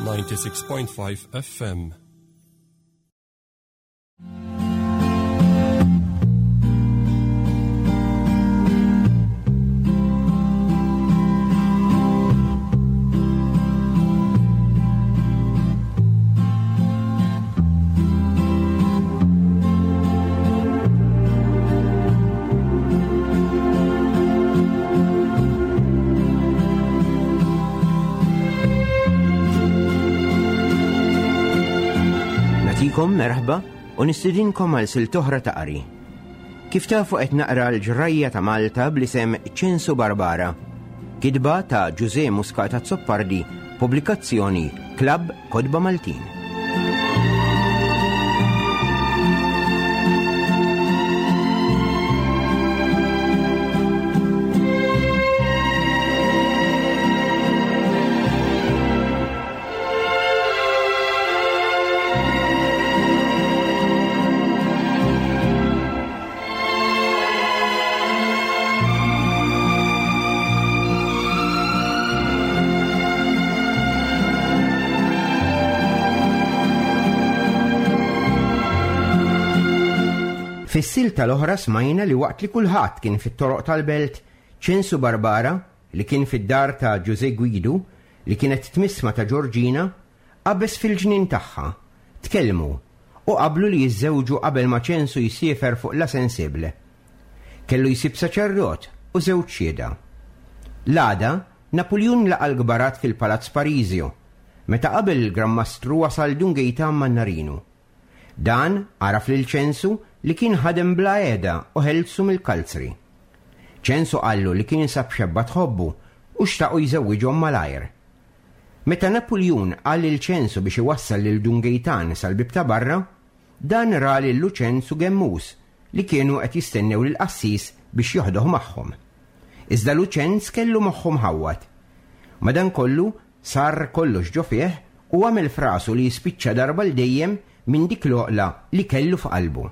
96.5 FM. Natikom merħba u nistidinkom għal siltoħra ta' qari. Kif tafu qed naqra l-ġrajja ta' Malta bl-isem Ċensu Barbara. Kitba ta' Ġuże Muscat Azzopardi, pubblikazzjoni Klabb Kotba Maltin. Fis-silta l-oħra smajna li waqt li kulħadd kien fit-toroq tal-belt, Ċensu Barbara, li kien fid-dar ta' Ġużè Gwidu, li kienet tmissma ta' Ġorġina, qabeż fil-ġnien tagħha, tkellmu, u qablu li jiżżewġu qabel ma Ċensu jsiefer fuq La Sensible. Kellu jsib saċerdot u żewġ xhieda. L-għada, Napuljun laqa' l-kbarat fil-Palazz Parisio, meta qabel il-Gran Mastru wasal Dun Gejtan Mannarinu. Dan għaraf lil Ċensu li kien ħadem bla qiegħda u ħelsu mill-kalzri. Ċensu qallu li kien sab xebba tħobbu u xtaqu jżewwiġhom malajr. Meta Napuljun qal lil Ċensu biex iwassal lil Dun Gejtan sal-bieb ta' barra, dan ra lil Luċenz u Gemmus li kienu qed jistennew lill-qassis biex joħdoh magħhom. Iżda Luċenz kellu moħħu mħawwad. Madankollu, sar kollox ġo fih u għamel f'rasu li jispiċċa darba 'l dejjem minn dik l-għoqla li kellu f'qalbu.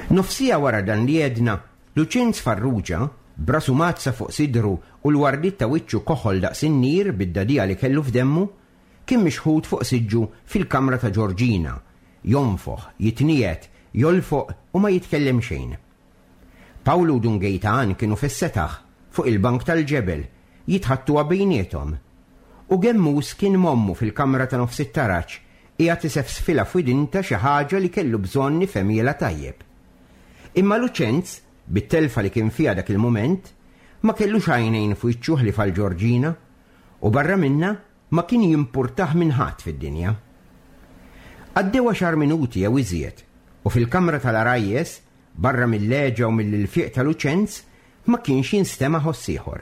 Nofsija wara dan li għedna, Luċenz Farrugia, b'rasu mgħaddsa fuq sidru u l-wardiet ta' wiċċu koħol daqs in-nir bid-dagħdigħa li kellu f'demmu, kien mixħut fuq siġġu fil-kamra ta' Ġorġina, jonfoħ, jitniegħed, jolfoq u ma jitkellem xejn. Pawlu u Dun Gejtan kienu fis-setaħ, fuq il-bank tal-ġebel, jitħattuha bejniethom. U Gemmus kien m'ommu fil-kamra ta' nofs it-taraġ, qiegħed isefsfilha f'widintha xi ħaġa li kellu bżonn ifhemhielha tajjeb. Imma Luċenz, bit-telfa li kien fiha dak il-mument, ma kellux għajnejn f'wiċċu ħlief għal Ġorġina, u barra minnha ma kien jimpurtah minn ħadd fid-dinja. Għaddew għaxar minuti jew iżjed, u fil-kamra tal-għarajjes, barra mill-għeġa u mill-ilfiq ta' Luċenz, ma kienx jinstema' ħoss ieħor.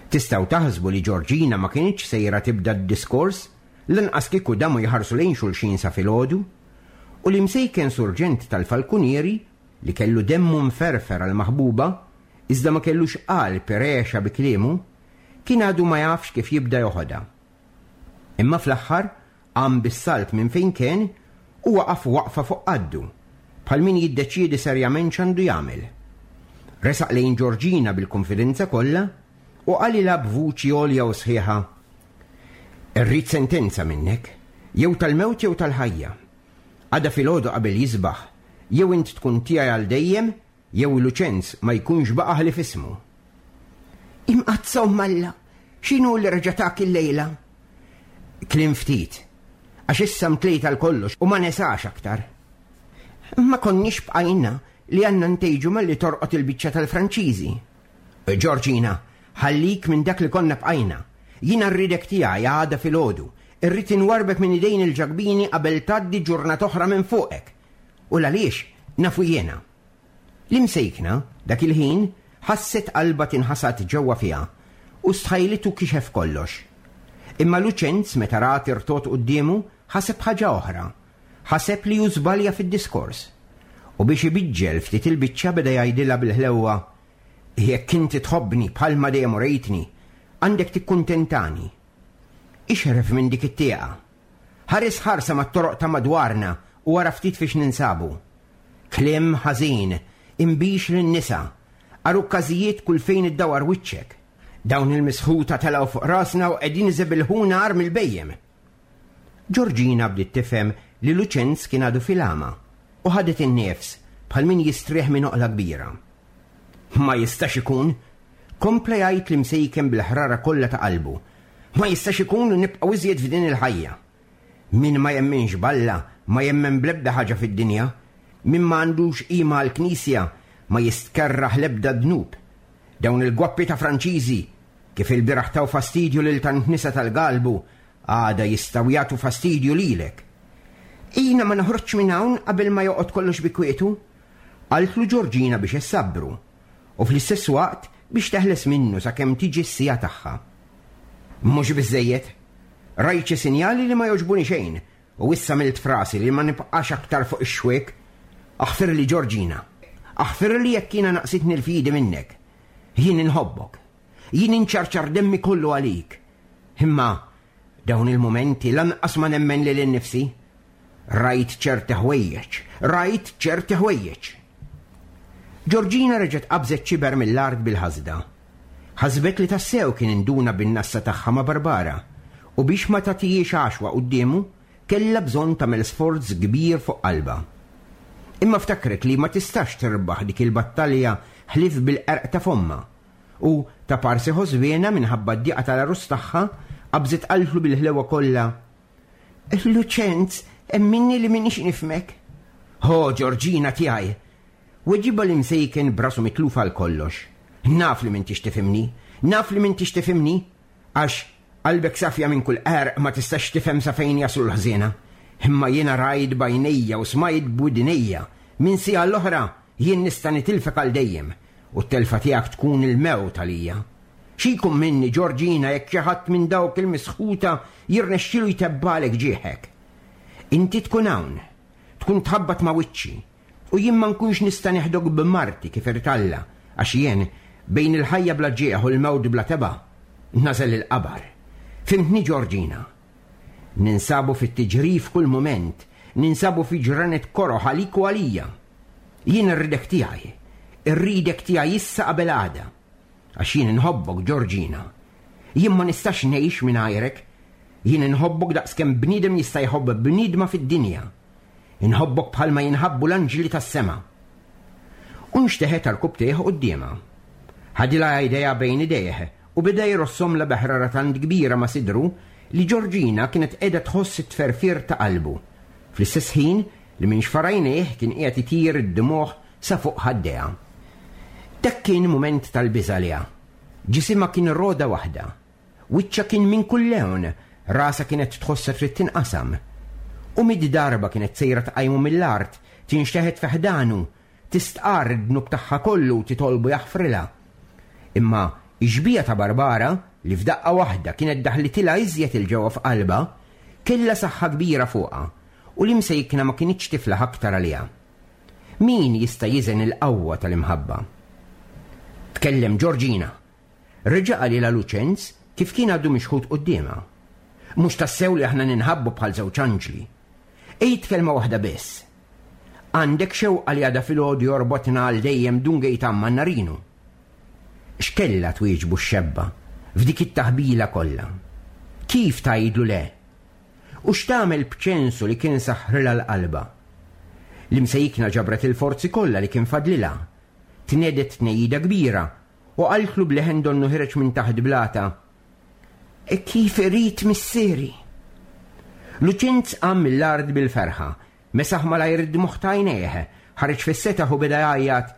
Tistgħu taħsbu li Ġorġina ma kinitx sejra tibda d-diskors, lanqas kieku damu jħarsu lejn xulxin sa filgħodu, u l-imsejken surġent tal-falkunieri, li kellu demmu mferfer għall-maħbuba, iżda ma kellux qalb iregħexha bi kliemu, kien għadu ma jafx kif jibda joħodha. Imma fl-aħħar qam bis-salt minn fejn kien u waqaf waqfa fuq qaddu, bħal min jiddeċiedi serjament x'għandu jagħmel. Resaq lejn Ġorġina bil-kunfidenza kollha u qalilha b'vuċi għolja u sħiħa, Irrid sentenza minnek, jew tal-mewt jew tal-ħajja. Għada filgħodu qabel jisbaħ, jew int tkun tiegħi għal dejjem Jew Luċenz ma jkunx baqa' ħlief ismu. Imqaddsa Omm Alla, x'inhu li reġa' tak illejla? Kliem ftit, għax issa mtlejt għal kollox u ma nesax aktar. Ma konniex bqajna li għandna ntejġu malli torqod il-biċċa tal-Franċiżi. Ġorġina, ħallik minn dak li konna bqajna. Jiena rridek tiegħi għada filgħodu. Irrid inwarrbek minn idejn il-Ġakbini qabel tgħaddi ġurnata oħra minn fuqek. U l-għaliex nafu jiena. L-imsejkna, dak il-ħin, ħasset qalbha tinħasad ġewwa fiha u stħajlitu kixef kollox. Imma Luċenz meta ra tirtot quddiemu ħaseb ħaġa oħra. Ħaseb li hu żbalja fid-diskors. U biex ibiġġel ftit il-biċċa beda jgħidilha bil-ħlewwa, Jekk inti tħobbni bħalma dejjem urejtni, għandek tikkuntentani. Ixref minn dik it-tieqa. Ħares ħarsa mat-toroq ta' madwarna u ara ftit fiex ninsabu. Kliem ħażin, inbix lin-nisa, għarukkażijiet kull fejn iddawar wiċċek. Dawn il-misħuta telgħu fuq rasna u qegħdin iżebilħuna agħar mill-bhejjem. Ġorġina bdiet tifhem li Luċenz kien għadu fil-għama u ħadet in-nifs bħal min jistrieħ minn oqla kbira. Ma jistax ikun! Kompla jgħid l-imsejken bil-ħrara kollha ta' qalbu. Ma jistax ikun li nibqgħu iżjed f'din il-ħajja. Min ma jemminx b'Alla ma jemmen bl-ebda ħaġa fid-dinja. Min ma għandux qima għall-Knisja ma jistkerrah l-ebda dnub. Dawn il-gwappi ta' Franċiżi, kif ilbieraħ taw fastidju lil tant nisa tal-galbu, għada jistgħu jagħtu fastidju lilek. Jiena ma noħroġx minn hawn qabel ma joqgħod kollox bi kwietu, qaltlu Ġorġina biex issabbru, u fl-istess waqt biex teħles minnu sakemm tiġi s-siegħa tagħha. Mhux biżżejjed. Rajt xi sinjali li ma jogħġbuni xejn u issa għamilt f'rasi li ma nibqax aktar fuq ix-xwiek. Aħfirli Ġorġina. Aħfirli jekk jiena naqsitni l-fidi minnek. Jien inħobbok. Jien inċarċar demmi kollu għalik. Imma dawn il-mumenti lanqas ma nemmen lili nnifsi. Rajt ċerti ħwejjeġ, rajt ċerti ħwejjeġ. Ġorġina reġgħet qabżet xiber mill-art bil-ħasda. Ħasbet li tassew kien induna bin-nassa tagħha ma' Barbara u biex ma tagħtihiex għaxwa quddiemu kellha bżonn tagħmel sforz kbir fuq qalbha. Imma ftakret li ma tistax tirbaħ dik il-battalja ħlief bil-qerq ta' fommha u, ta' parsi ħosbiena minħabba d-diqa tal-għarus tagħha, qabżet qaltlu bil-ħlewa kollha, Luċenz, emminni li m'iniex nifhmek. Ho, Ġorġina tiegħi! Weġibha l-imsejken b'rasu mitluf għal kollox. Naf li m'intix tifhimni, naf li m'intix tifhimni, għax qalbek safja minn kull qerq ma tistax tifhem sa fejn jaslu l-ħżiena. Imma jiena rajt b'għajnejja u smajt b'widnejja, minn siegħa għall-oħra jien nista' nitilfek għal dejjem, u t-telfa tiegħek tkun il-mewt għalija. Xi jkun minni, Ġorġina, jekk xi ħadd minn dawk il-misħuta jirnexxilu jtebbgħalek ġieħek? Inti tkun hawn, tkun tħabbat ma' wiċċi, U jien ma nkunx nista' neħdok b'marti kif irid Alla, għax jien, bejn il-ħajja bla ġieħ u l-mewt bla tebgħa, nagħżel il-qabar. Fhimtni Ġorġina? Ninsabu fit-tiġrif kull mument, ninsabu fi ġranet koroh għalik u għalija. Jien irridek tiegħi, irridek tiegħi issa qabel għada. Għax jien inħobbok, Ġorġina. Jien ma nistax ngħix mingħajrek. Jien inħobbok daqskemm bniedem jista' jħobb bniedma fid-dinja. Inħobbok bħalma jinħabbu l-anġli tas-sema. U nxteħet għarkupptejh quddiemha. Ħadilha idejha bejn idejh u beda jrossomlha bi ħrara tant kbira ma' sidru li Ġorġina kienet qiegħda tħoss it-tferfir ta' qalbu, fl-istess ħin li minn xfar għajnejh kien qiegħed itir id-dmugħ sa fuq ħaddejha. Dak kien mument tal-biża' għaliha. Ġisimha kien roda waħda. Wiċċha kien minn kull lewn, rasha kienet tħossha trid tinqasam. U mitt darba kienet sejra tqajmu mill-art, tinxteħet fi ħdanu, tistqarr id-dnub tagħha kollu u titolbu jaħfrilha. Imma x-xbieha ta' Barbara, li f'daqqa waħda kienet daħlitilha iżjed 'il ġewwa f'qalbha, kellha saħħa kbira fuqha, u l-imsejkna ma kinitx tiflaħ aktar għaliha. Min jista' jiżen il-qawwa tal-imħabba? Tkellem Ġorġina. Reġa' qalilha Luċenz kif kien għadu mixħut quddiemha. Mhux tassew li aħna ninħabbu bħal żewġ anġli. Għid kelma waħda biss. Għandek xewqa li għada filgħodu jorbotna għal dejjem Dun Gejtan Mannarinu? X'kellha twieġbu x-xebba f'dik it-taħbila kollha? Kif tgħidlu le? U x'tagħmel b'Ċensu li kien saħħrilha l-qalbha? L-imsejkna ġabret il-forzi kollha li kien fadlilha. Tnegħdet tnejjida kbira U qaltlu b'leħen donnu ħireġ minn taħt blata, Kif irid missieri! Luċenz qam mill-art bil-ferħa, mesaħ malajr id-dmugħ t'għajnejh, ħareġ fis-setaħ u beda jgħajjat,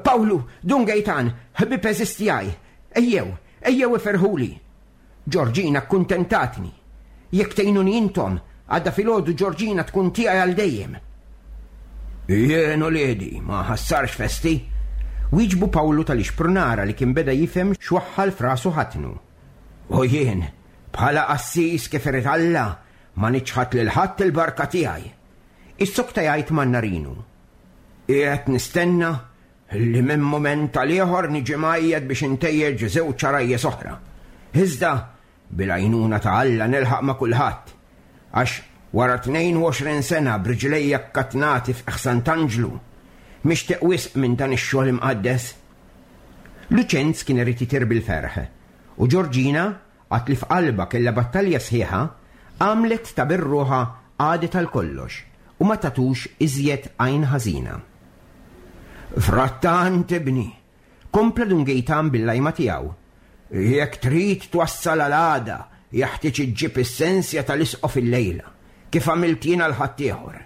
Pawlu, Dun Gejtan, ħbieb għeżież tiegħi, ejjew, ejjew iferrħuli! Ġorġina kkuntentatni. Jekk tgħinuni intom, għada filgħodu Ġorġina tkun tiegħi għal dejjem. Jien uliedi, ma ħassarx festi. Wieġbu Pawlu tal-ixprunara li kien beda jifhem x'waħħal f'rasu ħatnu. U jien, bħala qassis kif irid Alla, ma niċħad lil ħadd il-barka tiegħi. Issokta jgħid Mannarinu. Qiegħed nistenna Li minn mument għal ieħor niġi mgħajjat biex intejjeġ żewġ għarajjes oħra. Iżda, Bil-għajnuna ta' Alla nilħaq ma' kulħadd, għax wara 22 sena b'riġlejja kkatnati f'qiegħ Sant'Anġlu, mixtieq wisq minn dan ix-xogħol imqaddes. Luċenz kien irid itir bil-ferħ, u Ġorġina, għad li f'qalbha kellha battalja sħiħa, għamlet ta' bir-ruħha qagħdet għal kollox u ma tagħtux iżjed għajn ħażina. Frattant, ibni, Kompla Dun Gejtan bil-lajma tiegħu. Jekk trid twassal għal għada, jeħtieġ iġġib is-sensja tal-isqof illejla, kif għamilt jien għal ħaddieħor.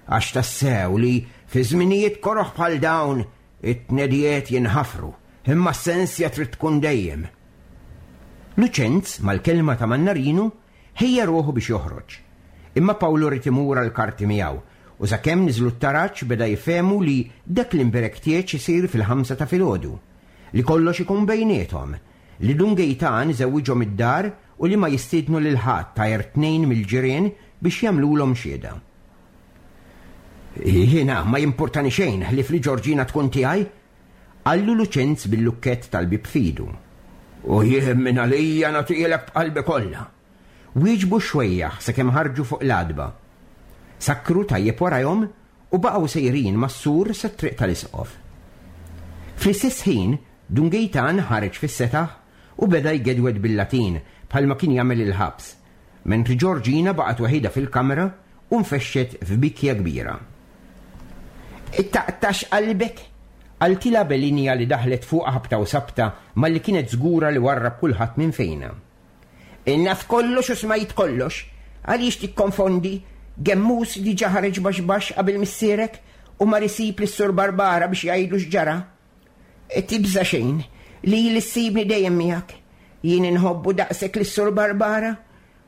Għax tassew li fi żminijiet koroh bħal dawn it-tnedijiet jinħafru, imma s-sensja trid tkun dejjem. Luċenz, mal-kelma ta' Mannarinu, ħejja ruħu biex joħroġ. Imma Pawlu ried imur għall-karti miegħu U sakemm niżlu t-taraġ beda jifhemu li dak l-imberek tieġ isir fil-ħamsa ta' filgħodu, li kollox ikun bejniethom, li Dun Gejtan iżewwiġhom id-dar u li ma jistiednu lil ħadd għajr tnejn mill-ġirien biex jagħmlulhom xhieda. Jiena ma jimpurtani xejn ħlief li Ġorġina tkun tiegħi, qallu Luċenz bil-lukkett tal-bieb f'idu. U jien mingħalija nagħtihielek b'qalbi kollha. Wieġbu x-xwejjaħ sakemm ħarġu fuq l-għatba. Sakkru tajjeb warajhom u baqgħu sejrin mas-sur sat-triq tal-Isqof. Fl-istess ħin, Dun Gejtan ħareġ fis-setaħ u beda jgedwed bil-Latin bħalma kien jagħmel il-ħabs, mentri Ġorġina baqgħet waħidha fil-kamra u nfexxet f'bikja kbira. Taqtax qalbek! qaltilha Belinja li daħlet fuqha ħabta u sabta malli kienet żgura li warrab kulħadd minn fejnha. Naf kollox u smajt kollox. Għaliex tikkonfondi? Gemmus diġà ħareġ baxx baxx qabel missierek u mar isib lis-Sur Barbara biex jgħidlu x'ġara. Tibża' xejn, lili ssibni dejjem miegħek. Jien inħobbu daqshekk lis-Sur Barbara,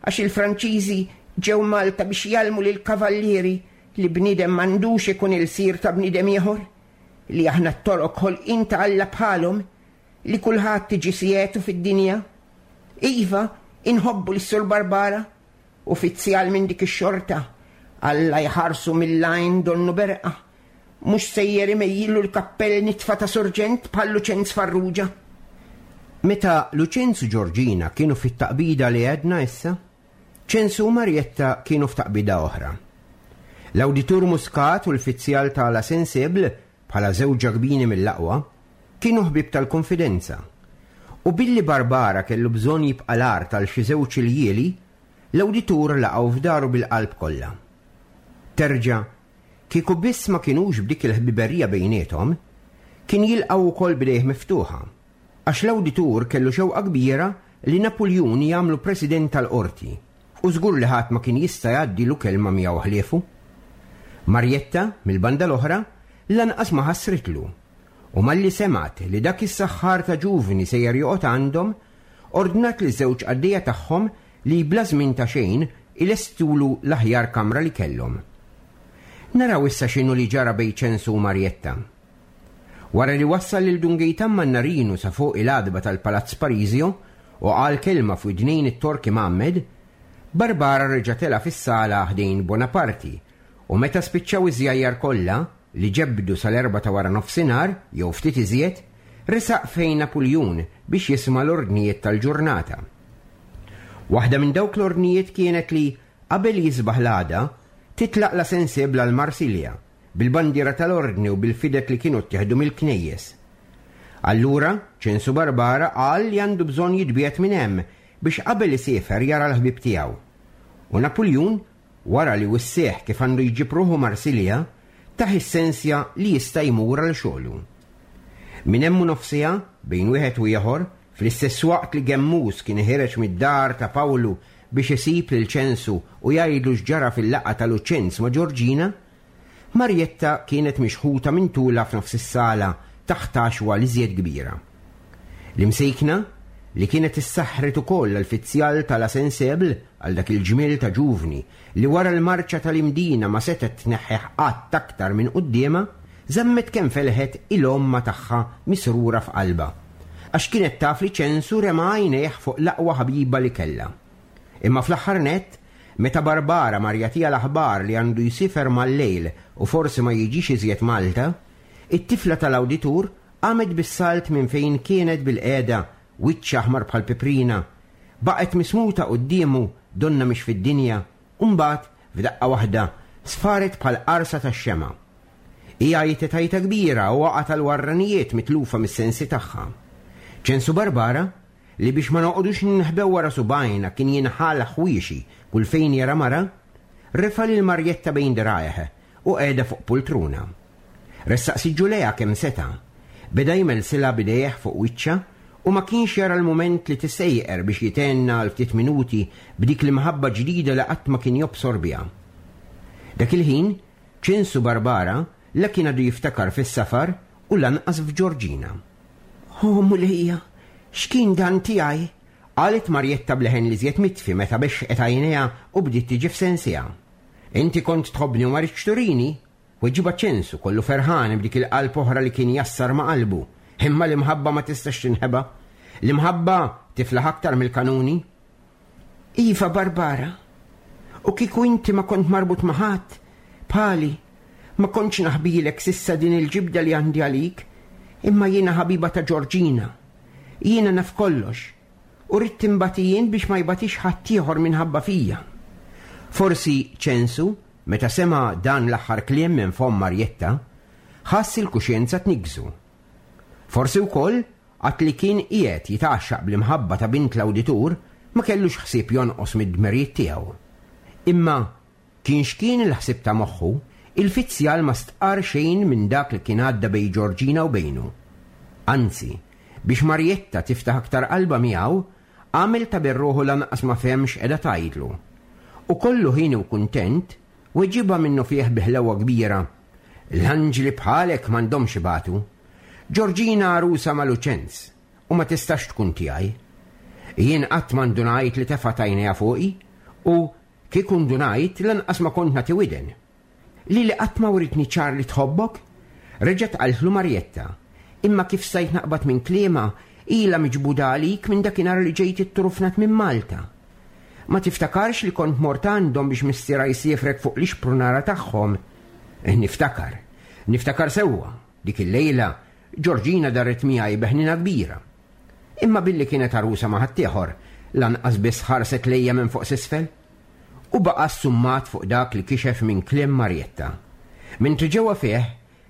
għax il-Franċiżi ġew Malta biex jgħallmu lill-kavallieri li bniedem m'għandux ikun ilsir ta' bniedem ieħor, li aħna t-Torok ħolqien ta' Alla bħalhom, li kulħadd tiġi sietu fid-dinja. Iva, inħobbu lis-Sur Barbara, ufizzjal minn dik ix-xorta. Alla jħarsu mill-għajn donnu berqa. Mhux sejjer imejjillu l-kappell nitfa ta' surġent bħal Luċenz Farrugia. Meta Luċenz u Ġorġina kienu fit-taqbida li għedna issa, Ċensu u Marjetta kienu f'taqbida oħra. L-Awditur Muscat u l-fizzjal ta' La Sensible bħala żewġ ġakbini mill-aqwa, kienu ħbieb tal-kunfidenza. U billi Barbara kellu bżonn jibqa' l-art għal xi żewġ iljieli, l-awditur laqgħu f'daru bil-qalb kollha. Terġa', kieku biss ma kinux b'dik il-ħbiberija bejniethom, kien jilqgħu wkoll b'idejh miftuħa. Għax l-awditur kellu xewqa kbira li Napuljun jagħmlu president tal-qorti, u żgur li ħadd ma kien jista' jgħaddilu kelma miegħu ħliefu. Marjetta, mill-banda l-oħra, lanqas ma ħassritlu, u malli semgħet li dak is-saħħar ta' ġuvni sejjer joqgħod għandhom, ordnat liż-żewġ qaddejja tagħhom li bla żmien ta' xejn ilestulu l-aħjar kamra li kellhom. Naraw issa x'inhu li ġara bejn Ċensu u Marjetta. Wara li wassal lil Dun Gejtan Mannarinu sa fuq il-għatba tal-Palazz Parisio u qal kelma f'widnejn it-Tork imgħammed, Barbara reġa' tela' fis-sala ħdejn Bonaparti u meta spiċċaw iż-żjajjar kollha, li ġebbdu sal-erbgħa ta' wara nofsinhar jew ftit iżjed, resaq fejn Napuljun biex jisma' l-ordnijiet tal-ġurnata. Waħda minn dawk l-ordnijiet kienet li, qabel jisbaħ l-għada, titlaq La Sensible għal Marsilja, bil-bandiera tal-Ordni u bil-fided li kienu ttieħdu mill-knejjes. Allura, Ċensu Barbara qal li għandu bżonn jitbiegħed minn hemm biex qabel isiefer jara l-ħbieb tiegħu. U Napuljun, wara li wissieh kif għandu jġib ruħu Marsilja, tah is-sensja li jista' jmur għal xogħlu. Minn hemm u nofs siegħa, bejn wieħed u ieħor, fl-istess waqt li Gemmus kien ħiereġ mid-dar ta' Pawlu biex isib lil Ċensu u jgħidlu x'ġara fil-laqgħa ta' Luċenz ma' Ġorġina, Marjetta kienet mixħuta minn tulha f'nofs is-sala taħt għaxwa l-iżjed kbira. L-imsejkna, li kienet issaħħret ukoll għall-fizzjal ta' La Sensible, għal dak il-ġmiel ta' ġuvni li wara l-marċa tal-Imdina ma setgħet tneħħih qatt aktar minn quddiemha, żammet kemm felħet il-għomma tagħha misrura f'qalbha, għax kienet taf li Ċensu rema' għajnejh fuq l-aqwa ħabiba li kellha. Imma fl-aħħar nett, meta Barbara mar jagħtiha l-aħbar li għandu jsiefer mal-lejl u forsi ma jiġix iżjed Malta, it-tifla tal-awditur qamet bis-salt minn fejn kienet bilqiegħda, wiċċha aħmar bħal piprina. Baqgħet mismuta quddiemu donnha mhix fid-dinja u mbagħad, f'daqqa waħda, sfaret bħal qarsa tax-xemgħa. Hi għajtet għajta kbira u waqgħet għall-warranijiet mitlufa mis-sensi tagħha. Ċensu Barbara, li biex ma noqogħdux ninħbew wara subgħajna kien jinħall ħwiexi kull fejn jara mara, refa' lil Marjetta bejn dirgħajh u qegħedha fuq pultruna. Ressaq siġġu lejha kemm seta'. Beda jmelsilha b'idejh fuq wiċċha u ma kienx jara l-mument li tissejjer biex jithenna għal ftit minuti b'dik l-imħabba ġdida li qatt ma kien jobsor biha. Dak il-ħin, Ċensu Barbara la kien għadu jiftakar fis-safar u lanqas f'Ġorġina. O Mulejja, x'kien dan tiegħi? qalet Marjetta b'leħen l-iżjed mitfi meta bexxqet għajnejha u bdiet tiġi f'sensiha. Inti kont tħobbni u ma ridtx turini? Weġibha Ċensu, kollu ferħan b'dik il-qalb oħra li kien jassar ma' qalbu. Imma l-imħabba ma tistax tinħeba. L-imħabba tiflaħ aktar mill-kanuni. Iva, Barbara. U kieku inti ma kont marbut ma' ħadd, bħali, ma kontx naħbilek s'issa din il-ġibda li għandi għalik, imma jiena ħabiba ta' Ġorġina. Jiena naf kollox. U ridt inbati jien biex ma jbatix ħaddieħor minħabba fija. Forsi Ċensu, meta sema' dan l-aħħar kliem minn fomm Marjetta, ħass il-kuxjenza tniggżu. Forsi wkoll għad li kien qiegħed jitgħaxxaq bl-imħabba ta' bint l-awditur ma kellux ħsieb jonqos mid-dmirijiet tiegħu. Imma Kien x'kien il-ħsieb ta' moħħu, il-fizzjal ma stqarr xejn minn dak li kien għadda bejn Ġorġina u bejnu. Anzi, biex Marjetta tiftaħ aktar qalbha miegħu, għamel ta' bir-ruħu lanqas ma fehem x'qiegħda tgħidlu. U kollu ħieni u kuntent, weġibha minnufih bi ħlewwa kbira, L-anġli bħalek m'għandhomx ibatu. Ġorġina għarusa ma' Luċenz, u ma tistax tkun tiegħi. Jien qatt ma ndunajt li tefgħet għajnejha fuqi, u, Kieku ndunajt, lanqas ma kont nagħti widen. Lili qatt ma writni ċar li tħobbok? Reġgħet qaltlu Marjetta. Imma kif stajt naqbad minn kliemha, ilha miġbuda għalik minn dakinhar li ġejt itturufnat minn Malta. Ma tiftakarx li kont mort għandhom biex missierha jsiefrek fuq l-ixprunara tagħhom? Niftakar. Niftakar sewwa. Dik il-lejla, Ġorġina daret miegħi bi ħniena kbira. Imma billi kienet għarusa ma' ħaddieħor, lanqas biss ħarset lejja minn fuq s'isfel. U baqa' ssummat fuq dak li kixef minn kliem Marjetta. Mentri ġewwa fih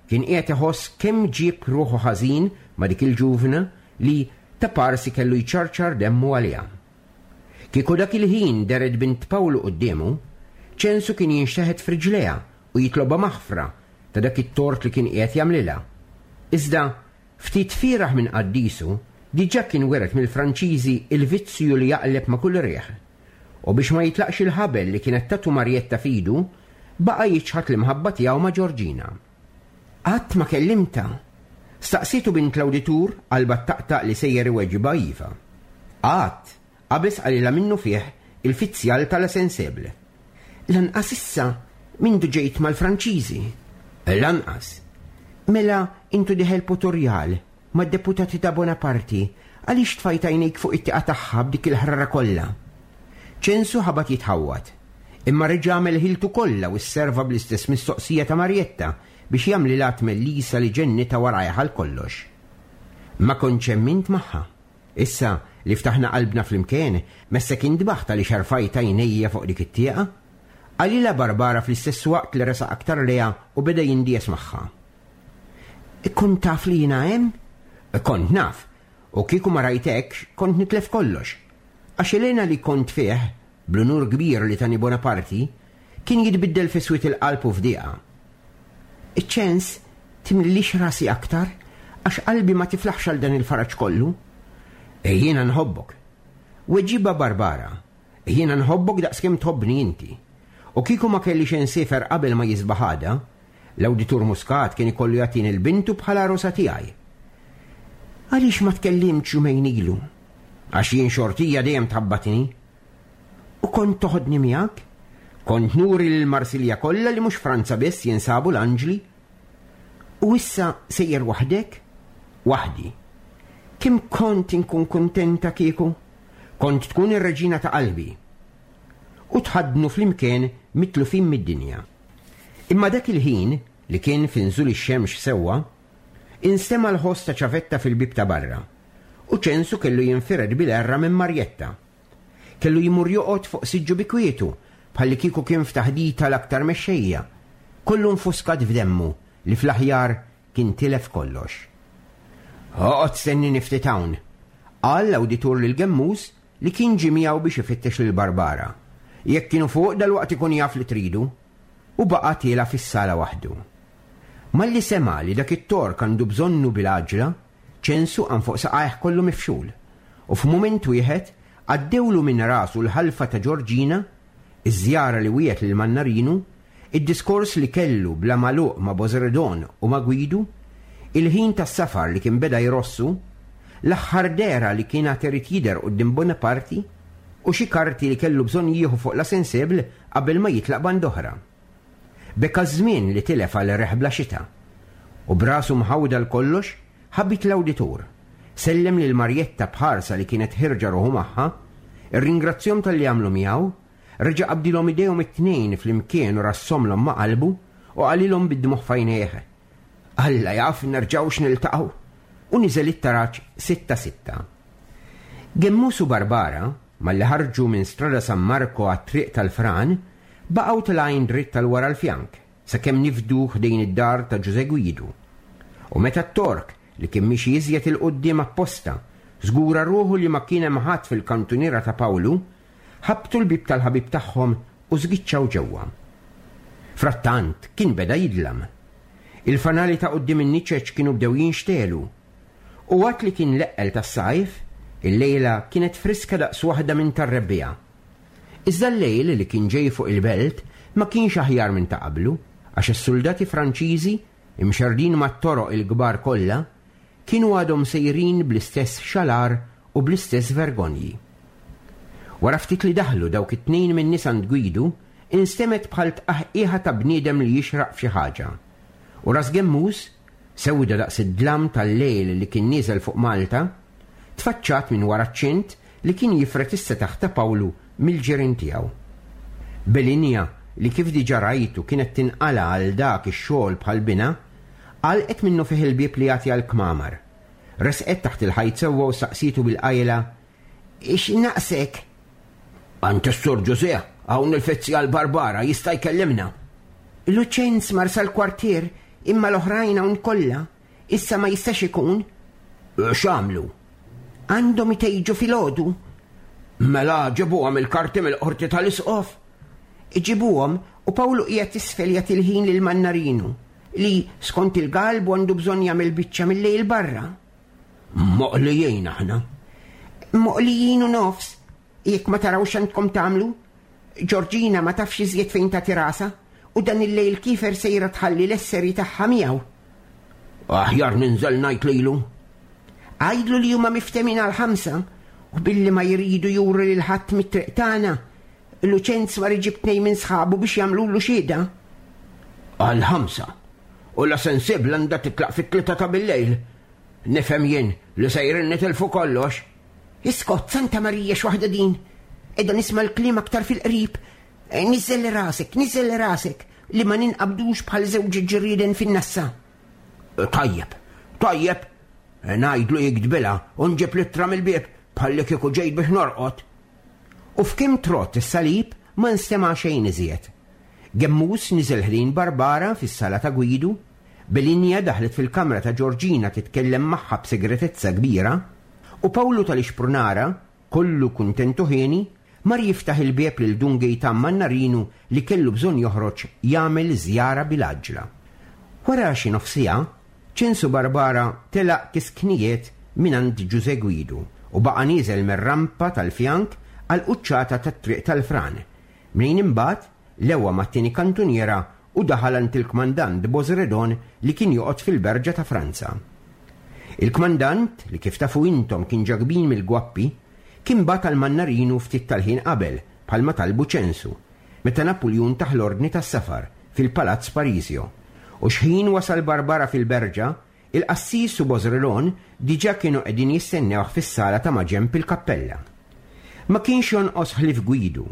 kien qiegħed iħoss kemm ġieb ruħu ħażin ma' dik il-ġuvna li taparsi kellu jċarċar demmu għaliha. Kieku dak il-ħin dehret bint Pawlu quddiemu, Ċensu kien jinxteħet f'riġlejha u jitlobha maħfra ta' dak it-tort li kien qiegħed jagħmlilha. Iżda Ftit fieragħ minn qaddisu, diġà kien wiret mill-Franċiżi l-vizzju li jaqleb ma' kull riħ. U biex ma jitlaqx il-ħabel li kienet tatu Marjetta f'idu, baqa' jiċħad l-imħabba tiegħu ma' Ġorġina. Qatt ma kellimtha? Staqsietu bint l-awditur, qalbha ttaqtaq li sejjer iweġibha iva. Qatt, Qabeż qalilha minnufih il-fizzjal ta' La Sensible. Lanqas issa, mindu ġejt mal-Franċiżi? Lanqas. Mela intu dieħel Potorjal, mad-deputati ta' Bonaparti, għaliex tfajt għajnejk fuq it-tieqa tagħha b'dik il-ħrara kollha? Ċensu ħabat jitħawwad. Imma reġa' għamel ħiltu kollha u sserva bl-istess mistoqsija ta' Marjetta biex jagħmlilha tmellisa li ġennitha warajh għal kollox. Ma kontx emmint magħha. Issa li ftaħna qalbna flimkien, messek intbaħt għaliex erfajt għajnejja fuq dik it-tieqa? Qalilha Barbara fl-istess waqt li resaq aktar lejha u beda jindies magħha. Kont taf li jiena hemm? Kont naf, u kieku ma rajtekx kont nitlef kollox. Għax il-hena li kont fih, bl-unur kbir li tani Bonaparti, kien jitbiddel fi swied il-qalb u f'dieqa. Iċ-ċens timlilix rasi aktar għax qalbi ma tiflaħx għal dan il-faraġ kollu. Jiena nħobbok. Weġibha Barbara, Jiena nħobbok daqskemm tħobbni inti. U kieku ma kellix insiefer qabel ma jisbaħ għada, l-Awditur Muscat kien ikollu jagħtini 'l bintu bħala għarusa tiegħi. Għaliex ma tkellimtx jumejn ilu? Għax jien xortija dejjem tħabbatni. U kont toħodni miegħek? Kont nuri lil Marsilja kollha li mhux Franza biss jinsabu l-anġli. U issa sejjer waħdek? Waħdi. Kemm kont inkun kuntenta kieku? Kont tkun ir-reġina ta' qalbi. U tħaddnu flimkien mitlufin mid-dinja. Imma dak il-ħin, li kien fi nżul ix-xemx sewwa, instema' l-ħoss ta' ċavetta fil-bieb ta' barra, u Ċensu kellu jinfired bil-għerra minn Marjetta. Kellu jmur joqgħod fuq siġġu bi kwietu, bħallikieku kien f'taħdita l-aktar mexxejja. Kollu nfuskat f'demmu li fl-aħjar kien tilef kollox. Oqgħod stennini ftit hawn, qal l-awditur lil Gemmus li kien ġie miegħu biex ifittex lil Barbara. Jekk kienu fuq dalwaqt ikun jaf li tridu. U baqa' tiela' fis-sala waħdu. Malli sema' li dak it-Tork għandu bżonnu bil-għaġla, Ċensu qam fuq saqajh kollu mifxul, u f'mument wieħed għaddewlu minn rasu l-ħalfa ta' Ġorġina, iż-żjara li wiegħed lil Mannarinu, id-diskors li kellu bla magħluq ma' Bosredon u ma' Gwidu, il-ħin tas-safar li kien beda jrossu, l-aħħar dehra li kien għad irid jidher quddiem Bonaparti, u xi karti li kellu bżonn jieħu fuq La Sensible qabel ma jitlaq band'oħra. Beka ż-żmien li tilef għal riħ bla xita. U b'rasu mħawwda għal kollox, ħabit l-awditur. Sellem lil Marjetta b'ħarsa li kienet ħierġa ruħu magħha, irringrazzjahom talli għamlu miegħu, reġa' qabdilhom idejhom it-tnejn flimkien u rassomlhom ma' qalbu u qalilhom bid-dmugħ f'għajnejh, Alla jaf nerġgħux niltaqgħu! U niżel it-taraġ sitta sitta. Gemmus u Barbara, malli ħarġu minn Strada San Marco għat-Triq tal-Fran, baqgħu telgħin dritt għal wara l-fjank, sakemm nifdu ħdejn id-dar ta' Ġużè Gwidu. U meta t-Tork, li kien miexi iżjed 'il quddiem apposta, żgura ruħu li ma kien hemm ħadd fil-kantuniera ta' Pawlu, ħabbtu l-bieb tal-ħabib tagħhom u żgiċċaw ġewwa. Frattant kien beda jidlam. Il-fanali ta' quddiem in-niċeċ kienu bdew jinxtegħlu. U għad li kien l-eqqel tas-sajf, il-lejla kienet friska daqs waħda minn tar-rebbiegħa. Iżda l-lejl li kien ġej fuq il-belt ma kienx aħjar minn ta' qablu, għax is-suldati Franċiżi, imxerrdin mat-toroq il-kbar kollha, kienu għadhom sejrin bl-istess xalar u bl-istess vergonji. Wara ftit li daħlu dawk it-tnejn min-nies għand Gwidu, instemgħet bħal tqaħqiħa ta' bniedem li jixraq f'xi ħaġa. U ras Gemmus, sewda daqs id-dlam tal-lejl li kien nieżel fuq Malta, tfaċċat minn wara ċ-ċint li kien jifred is-setaħ ta' Pawlu mill-ġirien tiegħu. Belinja, li kif diġà rajtu kienet tinqala' għal dak ix-xogħol bħal binha, għalqet minnufih il-bieb li jagħti għall-kmamar. Resqet taħt il-ħajt sewwa u staqsietu bil-qajla, X'naqsek? Għand is-Sur Ġużè, hawn il-fizzjal Barbara, jista' jkellimna. Luċenz mar sal-kwartier, imma l-oħrajn hawn kollha. Issa ma jistax ikun. X'għamlu? Għandhom itejġu filgħodu. Mela ġibuhom il-karti mill-qorti tal-isqof? Iġibuhom u Pawlu qiegħed isfel jagħti l-ħin lil Mannarinu li skont il-galbu għandu bżonn jagħmel biċċa mill-lejl barra. Moqlijin aħna. Moqlijin u nofs. Jekk ma tarawx għandkom tagħmlu. Ġorġina ma tafx iżjed fejn tagħti rasha u dan il-lejl kiefer sejra tħalli l-esseri tagħha miegħu. Aħjar ninżel ngħid lilu. Għidlu li huma miftemin għal ħamsa u billi ma jridu juru lil ħadd mit-triq tagħna, Luċenz mar iġib tnejn minn sħabu biex jagħmlulu xhieda. Għal ħamsa. U la sensibbla għandha titlaq fit-tlieta ta' billejl. Nifhem jien li sejrin nitilfu kollox. Iskot, Santa Marija x'waħda din! Qiegħda nisma' l-kliem aktar fil-qrib. Niżżel rasek, niżżel rasek, li ma ninqabdux bħal żewġ ġrieden fin-nassa. Tajjeb, tajjeb, ngħidlu jiktbilha u nġib l-ittra mill-bieb bħalli kieku ġejt biex norqod. U f'kemm trott is-salib ma nstema' xejn iżjed. Gemmus niżel ħdejn Barbara fis-sala ta' Gwidu, Belinja daħlet fil-kamra ta' Ġorġina titkellem magħha b'segretezza kbira, u Pawlu tal-Ixprunara, kollu kuntent u hieni, mar jiftaħ il-bieb lil Dun Gejtan Mannarinu li kellu bżonn joħroġ jagħmel żjara bil-għaġġla. Wara xi nofs siegħa, Ċensu Barbara telaq kisknijiet mingħand Ġużè Gwidu u baqa' nieżel mir-rampa tal-fjank għall-quċċata tat-Triq tal-Fran, mnejn imbagħad lewa mat-tieni kantuniera u daħal għand il-kmandant Bosredon li kien joqgħod fil-Berġa ta' Franza. Il-kmandant, li kif tafu intom kien ġa kbir mill-Gwappi, kien bagħat għal Mannarinu ftit tal-ħin qabel, bħalma talbu Ċensu, meta Napuljun tah l-ordni tas-safar, fil-Palazz Parisio. U xħin wasal Barbara fil-Berġa, il-qassis u Bosredon diġà kienu qegħdin jistennewh fis-sala ta' maġenb il-kappella. Ma kienx jonqos ħlief Gwidu.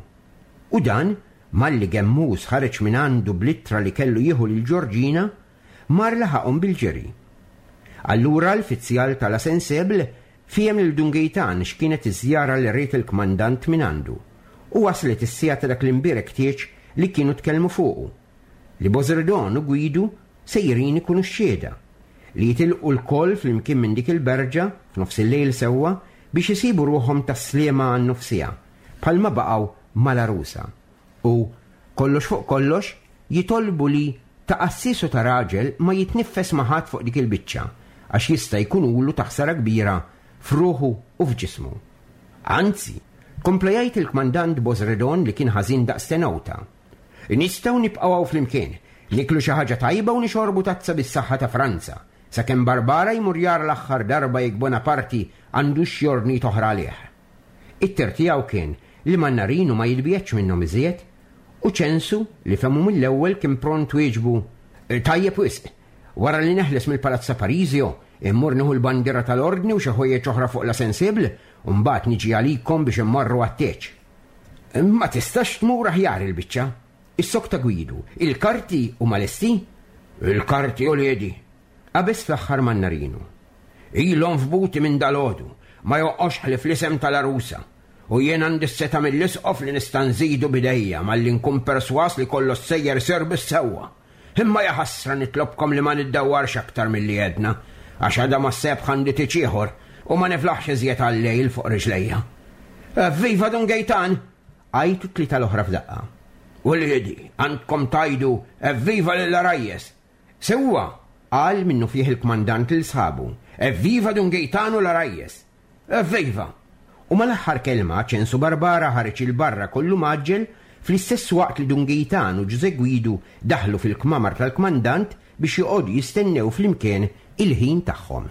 U dan, malli Gemmus ħareġ minn għandu bl-ittra li kellu jieħu lil Ġorġina, mar laħaqhom bil-ġiri. Allura l-fizzjal ta' La Sensible, Fiehem lil Dun Gejtan x'kienet iż-żjara li ried il-kmandant mingħandu, u waslet is-siegħa ta' dak l-imbierek tieġ li kienu tkellmu fuqu, li Bożerdon u Gwidu sejrin ikunu x-xhieda, li jitilqu lkoll flimkien minn dik il-berġa f'nofsillejl sewwa biex isibu ruħhom tas-Sliema għan-nofsiegħa, bħalma baqgħu mal-għarusa. U, kollox fuq kollox, jitolbu li ta' qassis u ta' raġel ma jitniffes ma' ħadd fuq dik il-biċċa, għax jista' jkunulu ta' ħsara kbira f'ruħu u f'ġismu. Anzi, kompla jgħid il-kmandant Bosredon li kien ħażin daqs tenowta, Nistgħu nibqgħu hawn flimkien, nieklu xi ħaġa tajba u nixorbu tazza bis-saħħa ta' Franza, sakemm Barbara jmur jara l-aħħar darba jekk Bonaparti għandux xi ordnijiet oħra għalih. It-tir tiegħu kien li Mannarinu ma jitbiegħedx minnhom iżjed, u Ċensu, li fehmu mill-ewwel kien pront wieġbu, Tajjeb wisq! Wara li neħles mill-Palazz ta' Parisio, immur nieħu l-bandiera tal-Ordni u xi ħwejjeġ oħra fuq La Sensible, u mbagħad niġi għalikom biex immorru għat-tieġ. Ma tistax tmur aħjar il-biċċa! Issokta Gwidu, Il-karti huma lesti? Il-karti, uliedi! Qabeż fl-aħħar Mannarinu. Ilhom f'buti minn dalgħodu, ma jonqosx ħlief l-isem tal-għarusa. U jien għandi s-setgħa mill-Isqof li nista' nżidu b'idejja malli nkun persważ li kollox sejjer isir bis-sewwa. Imma jaħasra nitlobkom li ma niddawwarx aktar milli għedna, għax għada mas-sebħ għandi tieġ ieħor u ma niflaħx iżjed għal-lejl fuq riġlejja. Evviva Dun Gejtan! Għajtu t-tlieta l-oħra f'daqqa. Uliedi, għandkom tgħidu evviva lill-għarajjes! Sewwa! qal minnufih il-kmandant lil sħabu. Evviva Dun Gejtanu l-għarajjes! Evviva! U mal-aħħar kelma Ċensu Barbara ħareġ 'il barra kollu mgħaġġel fl-istess waqt li Dun Gejtan u Ġużè Gwidu daħlu fil-kmamar tal-kmandant biex joqogħdu jistennew flimkien il-ħin tagħhom.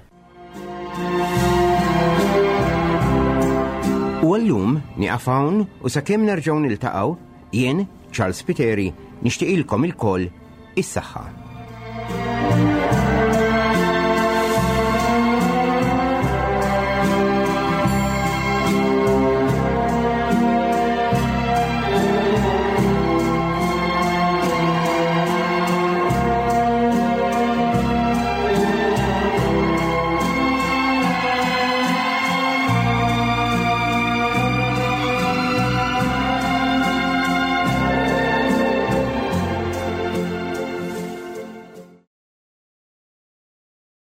U għallum nieqaf hawn u sakemm nerġgħu niltaqgħu, jien, Charles Spiteri, nixtieqilkom ilkoll is-saħħa.